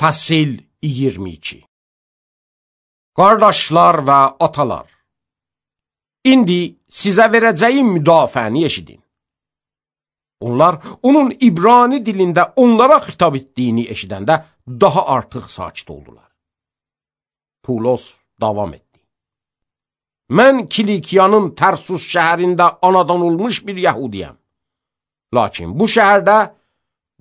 Fəsil 22. Qardaşlar və atalar, indi sizə verəcəyim müdafiəni eşidin. Onlar onun İbrani dilində onlara xitab etdiyini eşidəndə daha artıq sakit oldular. Pulos davam etdi. Mən Kilikiyanın Tərsus şəhərində anadan olmuş bir yəhudiyəm. Lakin bu şəhərdə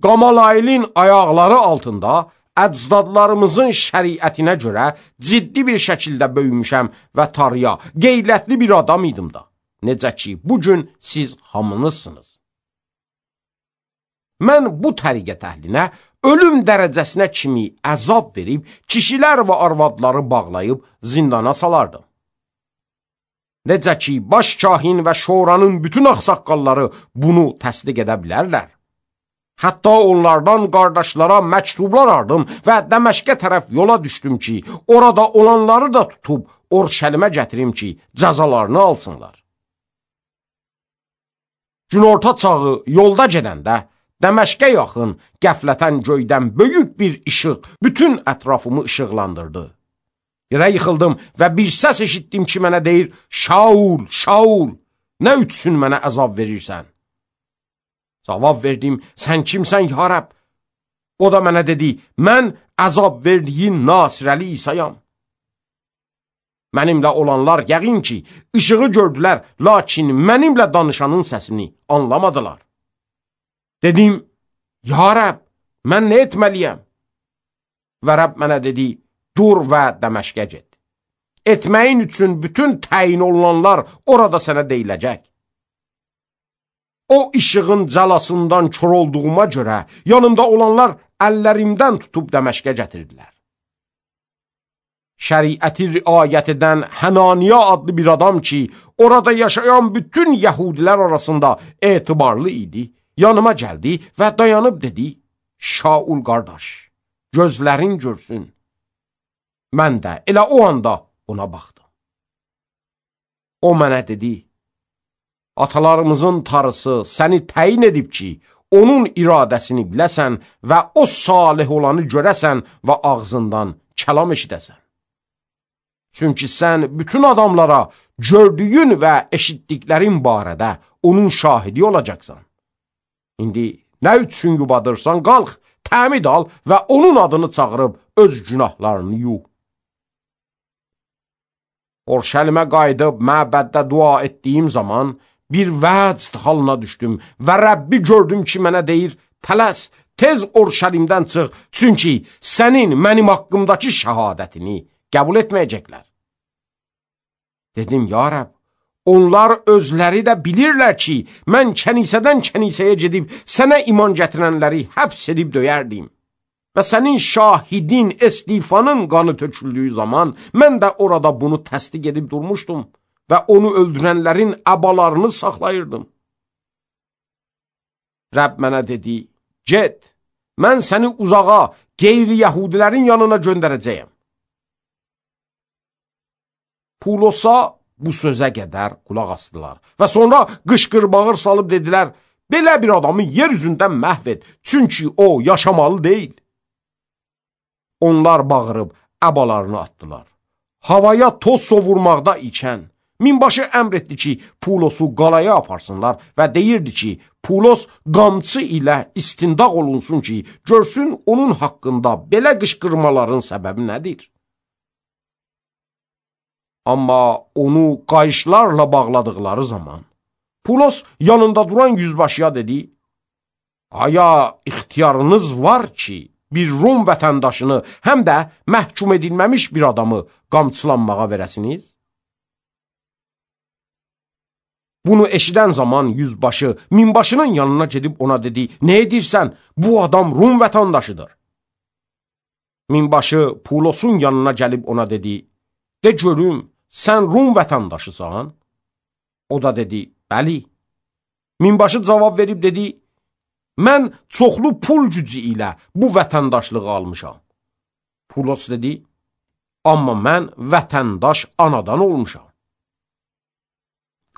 Qamalayilin ayaqları altında əcdadlarımızın şəriətinə görə ciddi bir şəkildə böyümüşəm və tarıya, qeyrətli bir adam idim da. Necə ki, bugün siz hamınızsınız. Mən bu təriqət əhlinə ölüm dərəcəsinə kimi əzab verib, kişilər və arvadları bağlayıb zindana salardım. Necə ki, baş kahin və şoranın bütün ağsaqqalları bunu təsdiq edə bilərlər. Hətta onlardan qardaşlara məktublar aldım və Dəməşqə tərəf yola düşdüm ki, orada olanları da tutub Orşəlimə gətirim ki, cəzalarını alsınlar. Günorta çağı yolda gedəndə Dəməşqə yaxın qəflətən göydən böyük bir işıq bütün ətrafımı işıqlandırdı. Yerə yıxıldım və bir səs eşitdim ki, mənə deyir, Şaul, Şaul, nə üçün mənə əzab verirsən? Cavab verdim, sən kimsən ya Rəbb? O da mənə dedi, mən əzab verdiyin Nasirəli İsayam. Mənimlə olanlar yəqin ki, işığı gördülər, lakin mənimlə danışanın səsini anlamadılar. Dedim, ya Rəbb, mən nə etməliyəm? Və Rəbb mənə dedi, dur və Dəməşqə get. Etməyin üçün bütün təyin olunanlar orada sənə deyiləcək. O işığın cəlasından kör olduğuma görə yanımda olanlar əllərimdən tutub Dəməşqə gətirdilər. Şəriəti riayət edən Hənaniya adlı bir adam ki, orada yaşayan bütün yəhudilər arasında etibarlı idi, yanıma gəldi və dayanıb dedi, Şaul qardaş, gözlərin görsün. Mən də elə o anda ona baxdım. O mənə dedi, atalarımızın tarısı səni təyin edib ki, onun iradəsini biləsən və o salih olanı görəsən və ağzından kəlam eşidəsən. Çünki sən bütün adamlara gördüyün və eşitdiklərin barədə onun şahidi olacaqsan. İndi nə üçün yubadırsan, qalx, təmid al və onun adını çağırıb öz günahlarını yuh. Orşəlimə qayıdıb məbəddə dua etdiyim zaman bir vəcd halına düşdüm və Rəbbi gördüm ki, mənə deyir, tələs, tez Orşəlimdən çıx, çünki sənin mənim haqqımdakı şəhadətini qəbul etməyəcəklər. Dedim, ya Rəbb, onlar özləri də bilirlər ki, mən kənisədən kənisəyə gedib sənə iman gətirənləri həbs edib döyərdim. Və sənin şahidin Estifanın qanı töküldüyü zaman mən də orada bunu təsdiq edib durmuşdum və onu öldürənlərin əbalarını saxlayırdım. Rəbb mənə dedi, get, mən səni uzağa, qeyri-yəhudilərin yanına göndərəcəyəm. Pulosa bu sözə qədər qulaq asdılar və sonra qışqır-bağır salıb dedilər, belə bir adamı yer üzündən məhv et, çünki o yaşamalı deyil. Onlar bağırıb əbalarını atdılar. Havaya toz sovurmaqda ikən, minbaşı əmr etdi ki, Pulosu qalaya aparsınlar və deyirdi ki, Pulos qamçı ilə istindaq olunsun ki, görsün onun haqqında belə qışqırmaların səbəbi nədir? Amma onu qayışlarla bağladıqları zaman, Pulos yanında duran yüzbaşıya dedi, aya ixtiyarınız var ki, bir Rum vətəndaşını, həm də məhkum edilməmiş bir adamı qamçılanmağa verəsiniz? Bunu eşidən zaman yüzbaşı minbaşının yanına gedib ona dedi, nə edirsən? Bu adam Rum vətəndaşıdır. Minbaşı Pulosun yanına gəlib ona dedi, de görüm, sən Rum vətəndaşısan? O da dedi, bəli. Minbaşı cavab verib dedi, mən çoxlu pul gücü ilə bu vətəndaşlığı almışam. Pulos dedi, amma mən vətəndaş anadan olmuşam.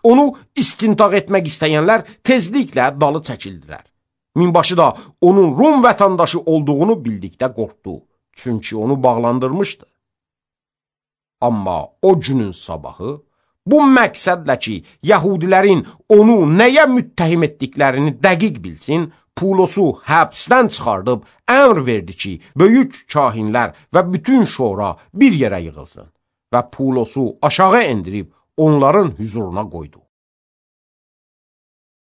Onu istintaq etmək istəyənlər tezliklə dalı çəkildilər. Minbaşı da onun Rum vətəndaşı olduğunu bildikdə qorxdu çünki onu bağlandırmışdı. Amma o günün sabahı, bu məqsədlə ki, Yahudilərin onu nəyə müttəhim etdiklərini dəqiq bilsin, Pulosu həbsdən çıxardıb əmr verdi ki, böyük kahinlər və bütün şora bir yerə yığılsın və Pulosu aşağı endirib onların hüzuruna qoydu.